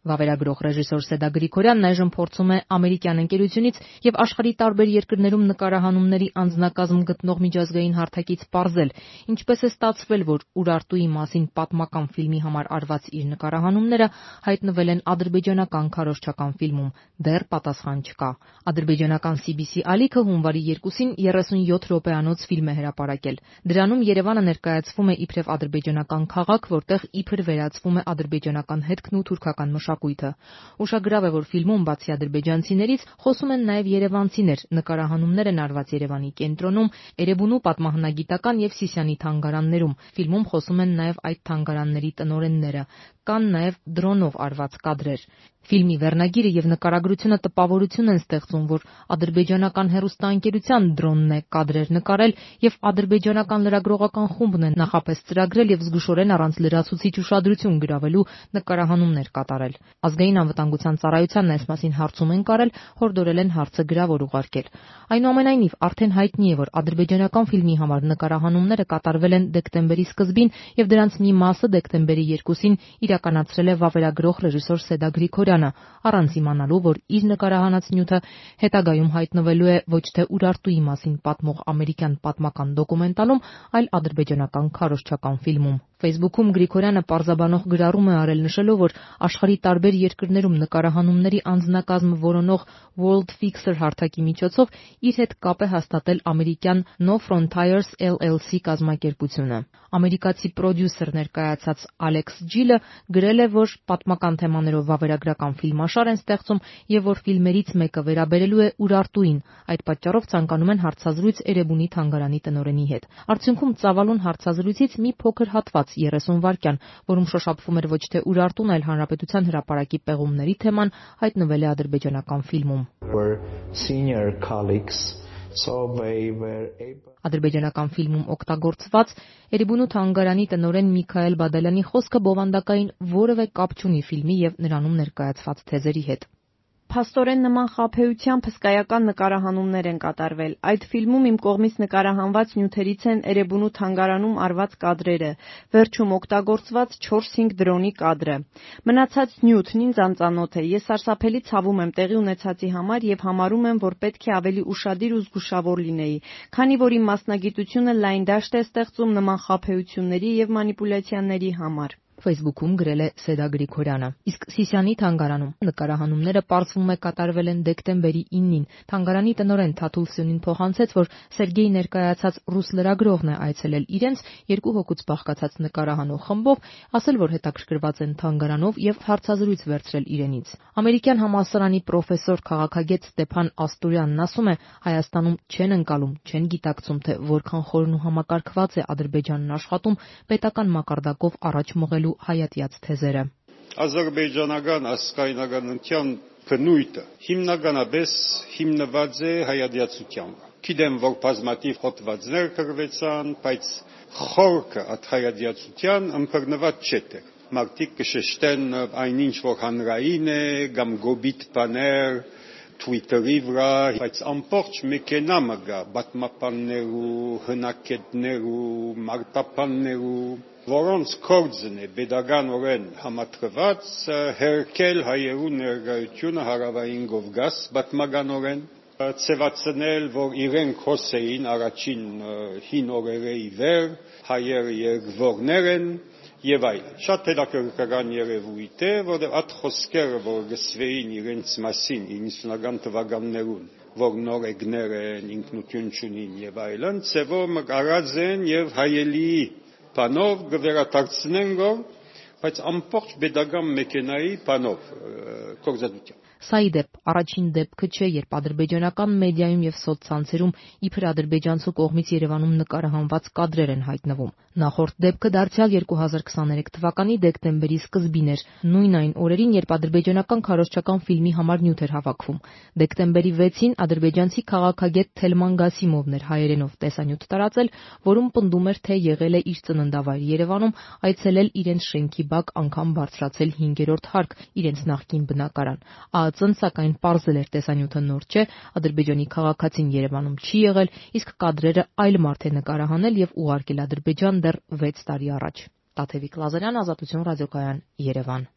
Վավերագրող ռեժիսոր Սեդա Գրիգորյանն այժմ փորձում է ամերիկյան ընկերությունից եւ աշխարհի տարբեր երկրներում նկարահանումների անձնակազմ գտնող միջազգային հարթակից պարզել, ինչպես է ստացվել, որ Ուրարտուի մասին պատմական ֆիլմի համար արված իր նկարահանումները հայտնվել են ադրբեջանական քարոզչական ֆիլմում, դեռ պատասխան չկա։ Ադրբեջանական CBC ալիքը հունվարի 2-ին 37 րոպեանոց ֆիլմ է հրապարակել։ Դրանում Երևանը ներկայացվում է իբրև ադրբեջանական քաղաք, որտեղ իբր վերածվում է ադրբեջանական հետքն ու թուրքական մշակույթը։ Ուշագրավ է, որ ֆիլմում բացի ադրբեջանցիներից խոսում են նաև երևանցիներ, նկարահանումներ են արված Երևանի կենտրոնում, Էրեբունու պատմահնագիտական եւ Սիսիանի թանգարաններում։ Ֆիլմում խոսում են նաև այդ թանգարանների տնօրենները, կան նաև դրոնով արված կադրեր։ Ֆիլմի վերնագիրը եւ նկարագրությունը տպավորություն են ստեղծում, որ ադրբեջանական հեռուստաընկերության դրոնն է կադրեր նկարել եւ ադրբեջանական լրագրողական խումբն է նախապես ծրագրել եւ զգուշորեն առանց լրացուցիչ ուշադրություն գրավելու նկարահանումներ կատարել։ Ազգային անվտանգության ծառայությանն այս մասին հարցում են կարել, հորդորել են հարցը գրավոր ուղարկել։ Այնուամենայնիվ, արդեն հայտնի է, որ ադրբեջանական ֆիլմի համար նկարահանումները կատարվել են դեկտեմբերի սկզբին եւ դրանց մի մասը դեկտեմբերի 2-ին իրականացրել է վավերագրող ռեժիսոր Սեդա Գրիգորյանը, առանց իմանալու, որ իր նկարահանած նյութը հետագայում հայտնվելու է ոչ թե Ուրարտուի մասին պատմող ամերիկյան պատմական դոկումենտալում, այլ ադրբեջանական քարոզչական ֆիլմում։ Facebook-ում Գրիգորյանը պարզաբանող գրառում է արել նշելով, որ աշխարհի տարբեր երկրներում նկարահանումների անձնակազմը որոնող World Fixer հարթակի միջոցով իր հետ կապ է հաստատել ամերիկյան No Frontiers LLC կազմակերպությունը։ Ամերիկացի պրոդյուսեր ներկայացած Ալեքս Ջիլը գրել է, որ պատմական թեմաներով վավերագրական ֆիլմաշար են ստեղծում եւ որ ֆիլմերից մեկը վերաբերելու է Ուրարտուին։ Այդ պատճառով ցանկանում են հարցազրույց Էրեբունի թանգարանի տնօրենի հետ։ Արդյունքում ծավալուն հարցազրույցից մի փոքր հատված 30 վայրկյան, որում շոշափվում էր ոչ թե Ուրարտուն, այլ հանրապետության հրապարակի պեղումների թեման, հայտնվել է ադրբեջանական ֆիլմում։ Ադրբեջանական ֆիլմում օգտագործված Էրեբունու թանգարանի տնօրեն Միքայել Բադալյանի խոսքը բովանդակային որևէ կապ չունի ֆիլմի եւ նրանում ներկայացված թեզերի հետ։ Փաստորեն նման խաբեությամբ հսկայական նկարահանումներ են կատարվել։ Այդ ֆիլմում իմ կողմից նկարահանված նյութերից են Էրեբունու թանգարանում արված կադրերը, վերջում օգտագործված 4-5 դրոնի կադրը։ Մնացած նյութն ինձ անծանոթ է։ Ես սարսափելի ցավում եմ տեղի ունեցածի համար եւ համարում եմ, որ պետք է ավելի ուշադիր ու զգուշավոր լինեի, քանի որ իմ մասնագիտությունը լայն դաշտ է ստեղծում նման խաբեությունների եւ մանիպուլյացիաների համար։ Facebook-ում գրել է Սեդա Գրիգորյանը։ Իսկ Սիսիանի թանգարանում նկարահանումները պարզվում է կատարվել են դեկտեմբերի 9-ին։ Թանգարանի տնօրեն Թաթուլ Սյունին փոխանցեց, որ Սերգեյ ներկայացած ռուս լրագրողն է այցելել իրենց 2 հոգուց բաղկացած նկարահանող խմբով, ասել, որ հետաքրքրված են թանգարանով եւ հարցազրույց վերցրել իրենից։ Ամերիկյան համալսարանի պրոֆեսոր քաղաքագետ Ստեփան Աստուրյանն ասում է, Հայաստանում չեն ընկալում, չեն գիտակցում, թե որքան խորն ու համակարգված է Ադրբեջանն աշխատում պետական մակարդակով առաջ մղելու հայատյաց թեզերը։ Ադրբեջանական ազգայնականության բնույթը հիմնականապես հիմնված է հայատյացության վրա։ Գիտեմ, որ բազմաթիվ հոդվածներ գրվեցան, բայց խորքը այդ հայատյացության ըմբռնված չէ։ Մարդիկ կշեշտեն այնինչ, որ հանրային է, կամ գոբիտ բաներ Twitter-ի վրա, բայց ամբողջ մեքենամը գա պատմաբաններու, հնակետներու, մարտապաններու, որոնց գործն է pedagogan համատրված հերքել հայերու ներկայությունը հարավային Կովկաս պատմականորեն, ցեվացնել, որ իրենք հոսեին առաջին հին օրերի վեր, հայերը երկվորներ են եւ այլն։ Շատ հետաքրքրական երևույթ է, որտեղ այդ խոսքերը, որ գսվեին իրենց մասին 90-ական թվականներուն, որ նորեգներ են, ինքնություն չունին եւ այլն, ցեվով մկարած են եւ հայելի բանով գվերադարձնեն գոր, բայց ամբողջ pedagogan մեքենայի բանով կորզատության։ Սա ի դեպ առաջին դեպքը չէ, երբ ադրբեջանական մեդիայում եւ սոցցանցերում իբր ադրբեջանցու կողմից Երևանում նկարահանված կադրեր են հայտնվում։ Նախորդ դեպքը դարձյալ 2023 թվականի դեկտեմբերի սկզբին էր, նույն այն օրերին, երբ ադրբեջանական քարոզչական ֆիլմի համար նյութ էր հավաքվում։ Դեկտեմբերի 6-ին ադրբեջանցի քաղաքագետ Թելման Գասիմովն էր հայերենով տեսանյութ տարածել, որում պնդում էր, թե եղել է իր ծննդավայր Երևանում, այցելել իրենց շենքի բակ, անգամ բարձրացել 5-րդ հարկ, իրենց նախկին բնակարան։ ԱԱԾ-ն սակայն պարզել էր տեսանյութը նոր չէ, Ադրբեջանի քաղաքացին Երևանում չի եղել, իսկ կադրերը այլ մարդ է նկարահանել եւ ուղարկել Ադրբեջան դեռ 6 տարի առաջ։ Տաթևիկ Լազարյան, Ազատություն ռադիոկայան, Երևան։